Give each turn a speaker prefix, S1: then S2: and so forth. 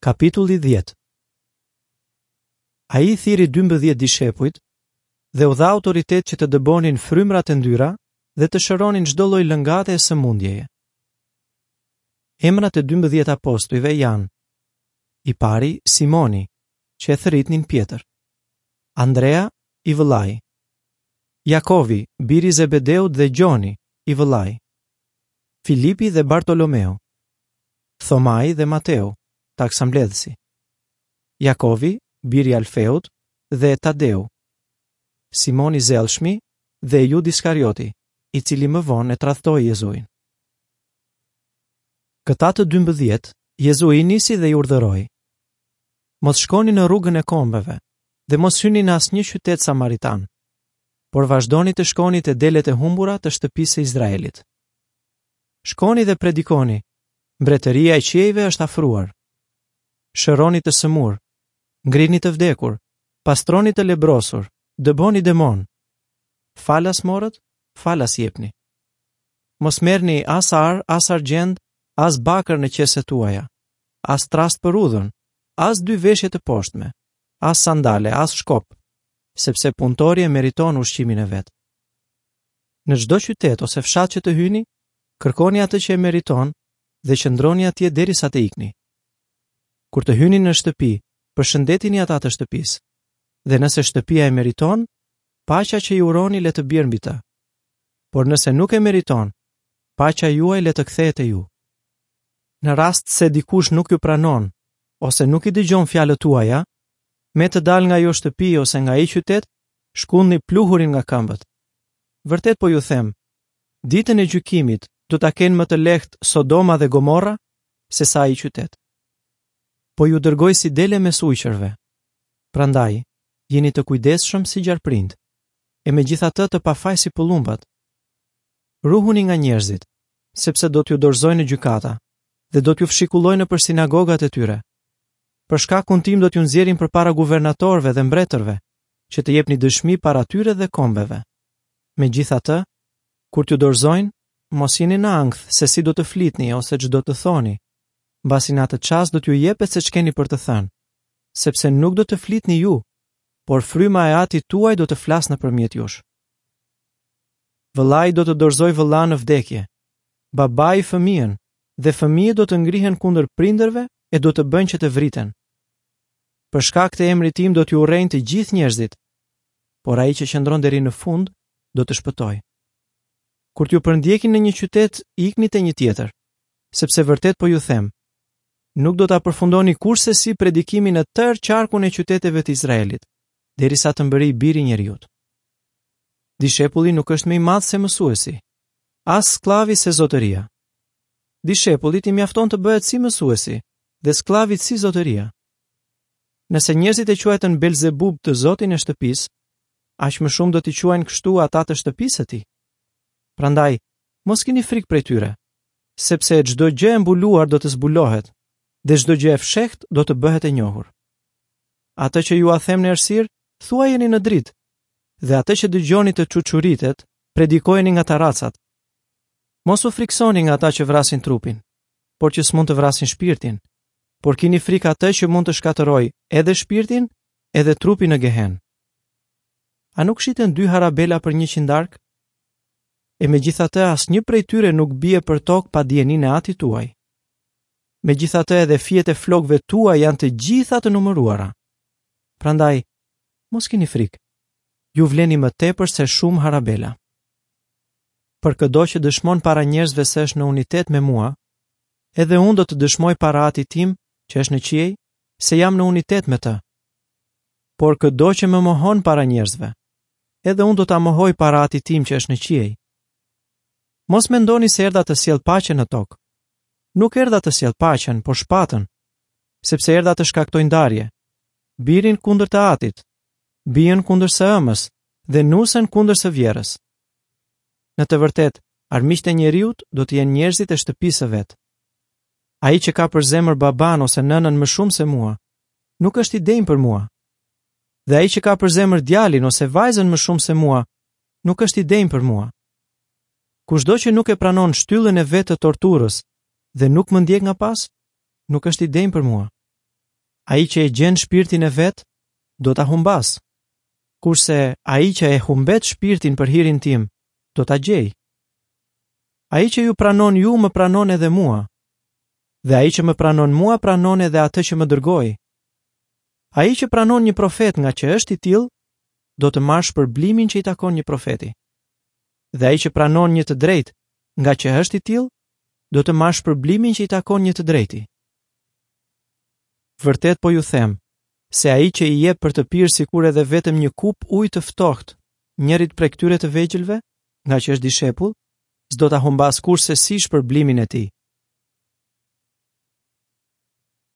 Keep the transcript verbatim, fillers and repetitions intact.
S1: Kapitulli dhjetë. Ai thirri dymbëdhjetë dishepujt dhe u dha autoritet që të dëbonin frymrat e ndyra dhe të shëronin çdo lloj lëngate e sëmundjeje. Emrat e dymbëdhjetë apostujve janë: i pari Simoni, që e thërritnin Pjetër, Andrea, i vëllai, Jakovi, biri i Zebedeut dhe Gjoni, i vëllai, Filipi dhe Bartolomeu, Thomai dhe Mateu, taksambledhësi, Jakovi, biri i Alfeut dhe Tadeu, Simoni Zellshmi dhe Jud Iskarioti, i cili më vonë e tradhtoi Jezuin. Këta të dymbëdhjetë, Jezui i nisi dhe i urdhëroi: Mos shkoni në rrugën e kombeve dhe mos hyni në asnjë qytet samaritan, por vazhdoni të shkoni te delet e humbura të shtëpisë së Izraelit. Shkoni dhe predikoni, mbretëria e qiejve është afruar. Shëroni të sëmurë, ngrini të vdekur, pastroni të lebrosur, dëboni demon. Falas morët, falas jepni. Mos merrni as ar, as argjend, as bakër në qeset tuaja, as trast për udhën, as dy veshje të poshtme, as sandale, as shkop, sepse punëtori e meriton ushqimin e vet. Në çdo qytet ose fshat që të hyni, kërkoni atë që e meriton dhe qëndroni atje derisa të ikni. Kur të hyni në shtëpi, përshëndetini ata të shtëpisë, dhe nëse shtëpia e meriton, paqja që i uroni le të bjerë mbi të. Por nëse nuk e meriton, paqja juaj le të kthehet te ju. Në rast se dikush nuk ju pranon ose nuk i dëgjon fjalët tuaja, me të dalë nga ajo shtëpi ose nga ai qytet, shkundni pluhurin nga këmbët. Vërtet po ju them, ditën e gjykimit do ta kenë më të lehtë Sodoma dhe Gomorra se sa ai qytet. Po ju dërgoj si dele mes ujqërve. Prandaj, jeni të kujdesshëm si gjarprinjt, e megjithatë të pafaj si pëllumbat. Ruhuni nga njerëzit, sepse do t'ju dorëzojnë në gjykata dhe do t'ju fshikullojnë nëpër sinagogat e tyre. Për shkakun tim do t'ju nxjerrin përpara guvernatorëve dhe mbretërve, që të jepni dëshmi para tyre dhe kombeve. Megjithatë, kur t'ju dorëzojnë, mos jeni në ankth se si do të flitni ose ç'do të thoni, mbasi në atë çast do t'ju jepet se ç'keni për të thënë, sepse nuk do të flitni ju, por fryma e Atit tuaj do të flasë nëpërmjet jush. Vëllai do të dorëzojë vëllanë në vdekje, babai fëmijën, dhe fëmijët do të ngrihen kundër prindërve e do të bëjnë që të vriten. Për shkak të emrit tim do t'ju urrejnë të gjithë njerëzit, por ai që qëndron deri në fund do të shpëtojë. Kur t'ju përndjekin në një qytet, ikni te një tjetër, sepse vërtet po ju them, nuk do ta përfundoni kurrsesi predikimin në tërë qarkun e qyteteve të Izraelit, derisa të mbërrijë biri i njeriut. Dishepulli nuk është më i madh se mësuesi, as skllavi se zotëria. Dishepullit i mjafton të bëhet si mësuesi dhe skllavit si zotëria. Nëse njerëzit e quajtën Belzebub të zotin e shtëpisë, aq më shumë do t'i quajnë kështu ata të shtëpisë së tij. Prandaj, mos kini frikë prej tyre, sepse çdo gjë e mbuluar do të zbulohet dhe çdo gjë e fshehtë do të bëhet e njohur. Atë që jua them në errësirë, thuajeni në dritë, dhe atë që dëgjoni të çuçuritet, predikojeni nga tarracat. Mos u friksoni nga ata që vrasin trupin, por që s'mund të vrasin shpirtin, por kini frikë atë që mund të shkatërrojë edhe shpirtin, edhe trupin në Gehen. A nuk shiten dy harabela për njëqind dark? E megjithatë asnjë prej tyre nuk bie për tokë pa dijeninë e Atit tuaj. Megjithatë edhe fijet e flokëve tuaj janë të gjitha të numëruara. Prandaj, mos kini frikë. Ju vleni më tepër se shumë harabela. Për këdo që dëshmon para njerëzve se është në unitet me mua, edhe unë do të dëshmoj para Atit tim, që është në qiej, se jam në unitet me të. Por këdo që më mohon para njerëzve, edhe unë do ta mohoj para Atit tim që është në qiej. Mos mendoni se erdha të sjell paqe në tokë. Nuk erdha të sjell paqen, por shpatën, sepse erdha të shkaktoj ndarje, birin kundër të atit, bijën kundër së ëmës dhe nusen kundër së vjerës. Në të vërtetë, armiqtë e njeriut do të jenë njerëzit e shtëpisë së vet. Ai që ka për zemër baban ose nënën më shumë se mua, nuk është i denjë për mua. Dhe ai që ka për zemër djalin ose vajzën më shumë se mua, nuk është i denjë për mua. Kushdo që nuk e pranon shtyllën e vet të torturës dhe nuk më ndjek nga pas, nuk është i denjë për mua. Ai që e gjen shpirtin e vet, do ta humbasë. Kurse ai që e humbet shpirtin për hirin tim, do ta gjejë. Ai që ju pranon ju, më pranon edhe mua. Dhe ai që më pranon mua, pranon edhe atë që më dërgoi. Ai që pranon një profet nga që është i tillë, do të marrë shpërblimin që i takon një profeti. Dhe ai që pranon një të drejtë nga që është i tillë, do të marrë shpërblimin që i takon një të drejti. Vërtet po ju them, se ai që i jep për të pirë sikur edhe vetëm një kupë ujë të ftohtë njërit prej këtyre të vegjëlve, nga që është dishepull, s'do ta humbas kurrsesi shpërblimin e tij.